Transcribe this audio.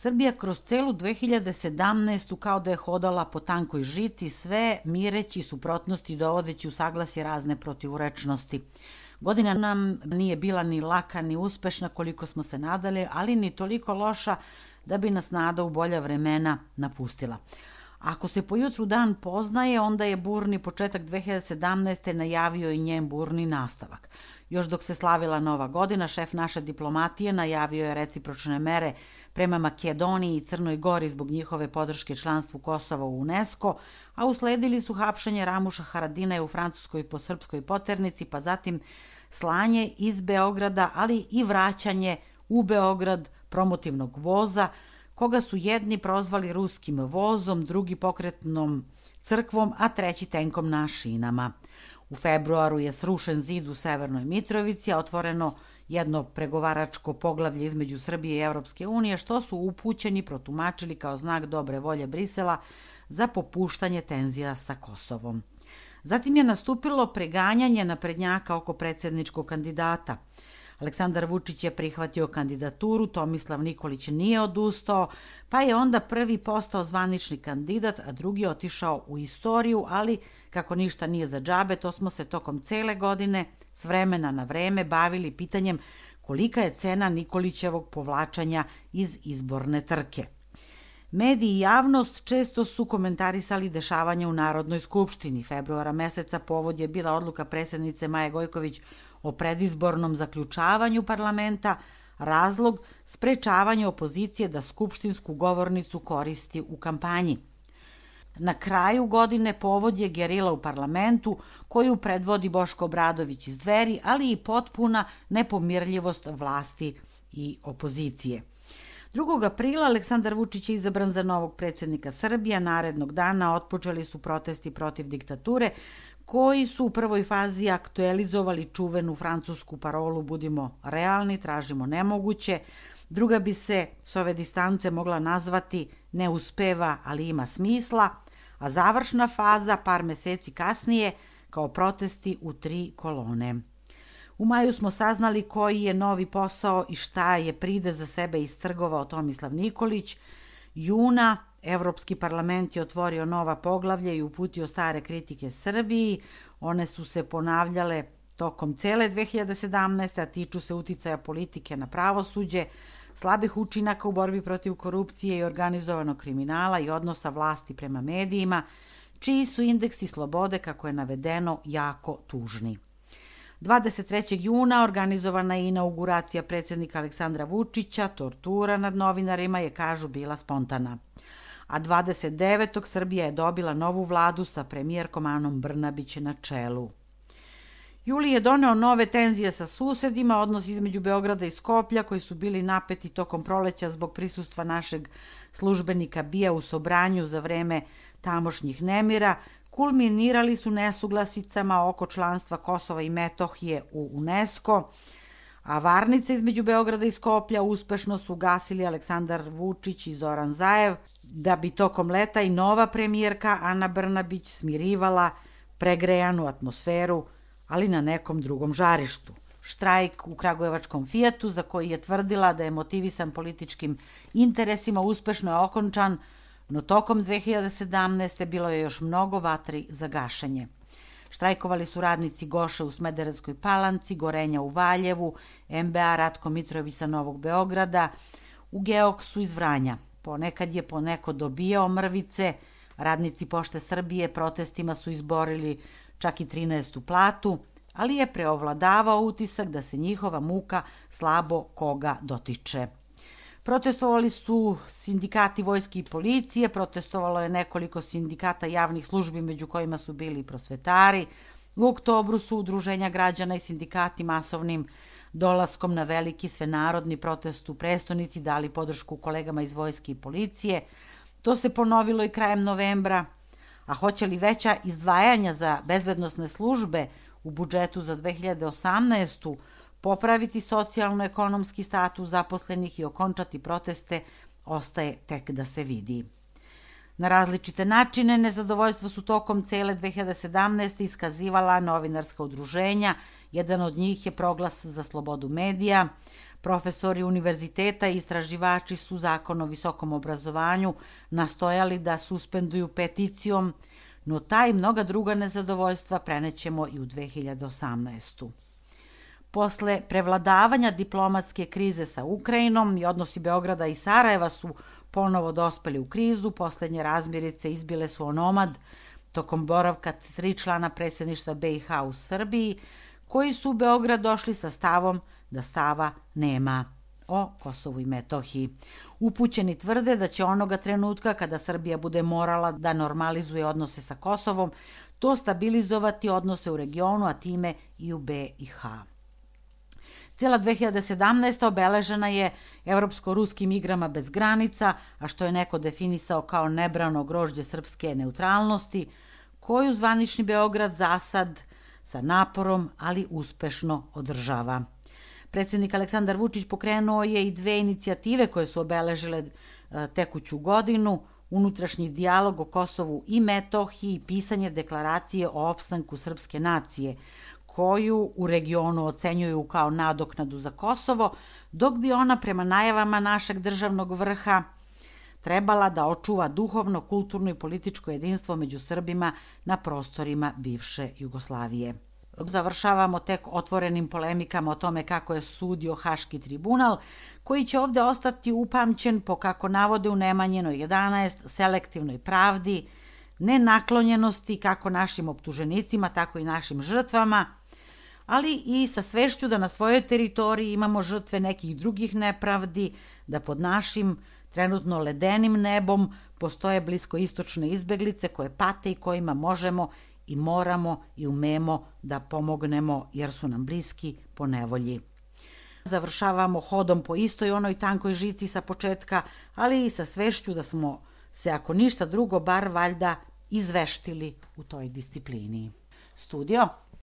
Srbija kroz celu 2017. kao da je hodala po tankoj žici, sve mireći suprotnosti dovodeći u saglasje razne protivurečnosti. Godina nam nije bila ni laka ni uspešna koliko smo se nadali, ali ni toliko loša da bi nas nada u bolja vremena napustila. Ako se po jutru dan poznaje, onda je burni početak 2017. najavio i njen burni nastavak. Još dok se slavila Nova godina, šef naše diplomatije najavio je recipročne mere prema Makedoniji i Crnoj Gori zbog njihove podrške članstvu Kosova u UNESCO, a usledili su hapšenje Ramuša Haradinaja u Francuskoj po srpskoj poternici, pa zatim slanje iz Beograda, ali i vraćanje u Beograd promotivnog voza, koga su jedni prozvali ruskim vozom, drugi pokretnom crkvom, a treći tenkom na šinama. U februaru je srušen zid u Severnoj Mitrovici, a otvoreno jedno pregovaračko poglavlje između Srbije i Evropske unije, što su upućeni protumačili kao znak dobre volje Brisela za popuštanje tenzija sa Kosovom. Zatim je nastupilo preganjanje naprednjaka oko predsjedničkog kandidata. Aleksandar Vučić je prihvatio kandidaturu, Tomislav Nikolić nije odustao, pa je onda prvi postao zvanični kandidat, a drugi otišao u istoriju, ali kako ništa nije za džabe, to smo se tokom cele godine s vremena na vreme bavili pitanjem kolika je cena Nikolićevog povlačanja iz izborne trke. Mediji i javnost često su komentarisali dešavanja u Narodnoj skupštini. Februara meseca povod je bila odluka predsjednice Maje Gojković o predizbornom zaključavanju parlamenta, razlog sprečavanje opozicije da skupštinsku govornicu koristi u kampanji. Na kraju godine povod je gerila u parlamentu koju predvodi Boško Obradović iz Dveri, ali i potpuna nepomirljivost vlasti i opozicije. 2. aprila Aleksandar Vučić je izabran za novog predsjednika Srbije. Narednog dana otpočeli su protesti protiv diktature koji su u prvoj fazi aktualizovali čuvenu francusku parolu "Budimo realni, tražimo nemoguće". Druga bi se s ove distance mogla nazvati "Ne uspeva, ali ima smisla", a završna faza par meseci kasnije kao protesti u 3 kolone. U maju smo saznali koji je novi posao i šta je pride za sebe istrgovao Tomislav Nikolić. Juna Evropski parlament je otvorio nova poglavlja i uputio stare kritike Srbiji. One su se ponavljale tokom cele 2017. a tiču se uticaja politike na pravosuđe, slabih učinaka u borbi protiv korupcije i organizovanog kriminala i odnosa vlasti prema medijima, čiji su indeksi slobode, kako je navedeno, jako tužni. 23. juna organizovana je inauguracija predsjednika Aleksandra Vučića, tortura nad novinarima je, kažu, bila spontana. A 29. Srbija je dobila novu vladu sa premijerkom Anom Brnabić na čelu. Juli je doneo nove tenzije sa susedima, odnos između Beograda i Skoplja koji su bili napeti tokom proleća zbog prisustva našeg službenika Bija u Sobranju za vreme tamošnjih nemira, kulminirali su nesuglasicama oko članstva Kosova i Metohije u UNESCO, a varnice između Beograda i Skoplja uspešno su ugasili Aleksandar Vučić i Zoran Zaev, da bi tokom leta i nova premijerka Ana Brnabić smirivala pregrejanu atmosferu, ali na nekom drugom žarištu. Štrajk u kragujevačkom Fijatu, za koji je tvrdila da je motivisan političkim interesima, uspešno je okončan, no tokom 2017. bilo je još mnogo vatri za gašenje. Štrajkovali su radnici Goše u Smederevskoj Palanci, Gorenja u Valjevu, MBA Ratko Mitrović sa Novog Beograda, u Geoksu iz Vranja. Ponekad je poneko dobijao mrvice, radnici Pošte Srbije protestima su izborili čak i 13. platu, ali je preovladavao utisak da se njihova muka slabo koga dotiče. Protestovali su sindikati vojske i policije, protestovalo je nekoliko sindikata javnih službi, među kojima su bili i prosvetari. U oktobru su udruženja građana i sindikati masovnim dolaskom na veliki svenarodni protest u prestonici dali podršku kolegama iz vojske i policije. To se ponovilo i krajem novembra, a hoće li veća izdvajanja za bezbednosne službe u budžetu za 2018. popraviti socijalno-ekonomski status zaposlenih i okončati proteste, ostaje tek da se vidi. Na različite načine nezadovoljstvo su tokom cele 2017. iskazivala novinarska udruženja. Jedan od njih je Proglas za slobodu medija. Profesori univerziteta i istraživači su Zakon o visokom obrazovanju nastojali da suspenduju peticijom, no ta i mnoga druga nezadovoljstva prenećemo i u 2018. Posle prevladavanja diplomatske krize sa Ukrajinom i odnosi Beograda i Sarajeva su ponovo dospeli u krizu, poslednje razmirice izbile su onomad tokom boravka 3 člana predsjedništva BiH u Srbiji, koji su u Beograd došli sa stavom da stava nema o Kosovu i Metohiji. Upućeni tvrde da će onoga trenutka kada Srbija bude morala da normalizuje odnose sa Kosovom, to stabilizovati odnose u regionu, a time i u BiH. Cijela 2017. obeležena je evropsko-ruskim igrama bez granica, a što je neko definisao kao nebrano grožđe srpske neutralnosti, koju zvanični Beograd zasad sa naporom, ali uspešno održava. Predsjednik Aleksandar Vučić pokrenuo je i 2 inicijative koje su obeležile tekuću godinu, unutrašnji dijalog o Kosovu i Metohiji i pisanje deklaracije o opstanku srpske nacije, koju u regionu ocenjuju kao nadoknadu za Kosovo, dok bi ona prema najavama našeg državnog vrha trebala da očuva duhovno, kulturno i političko jedinstvo među Srbima na prostorima bivše Jugoslavije. Završavamo tek otvorenim polemikama o tome kako je sudio Haški tribunal, koji će ovde ostati upamćen po, kako navode u Nemanjinoj 11, selektivnoj pravdi, nenaklonjenosti kako našim optuženicima, tako i našim žrtvama, ali i sa svešću da na svojoj teritoriji imamo žrtve nekih drugih nepravdi, da pod našim trenutno ledenim nebom postoje bliskoistočne izbeglice koje pate i kojima možemo i moramo i umemo da pomognemo jer su nam bliski po nevolji. Završavamo hodom po istoj onoj tankoj žici sa početka, ali i sa svešću da smo se, ako ništa drugo, bar valjda izveštili u toj disciplini. Studio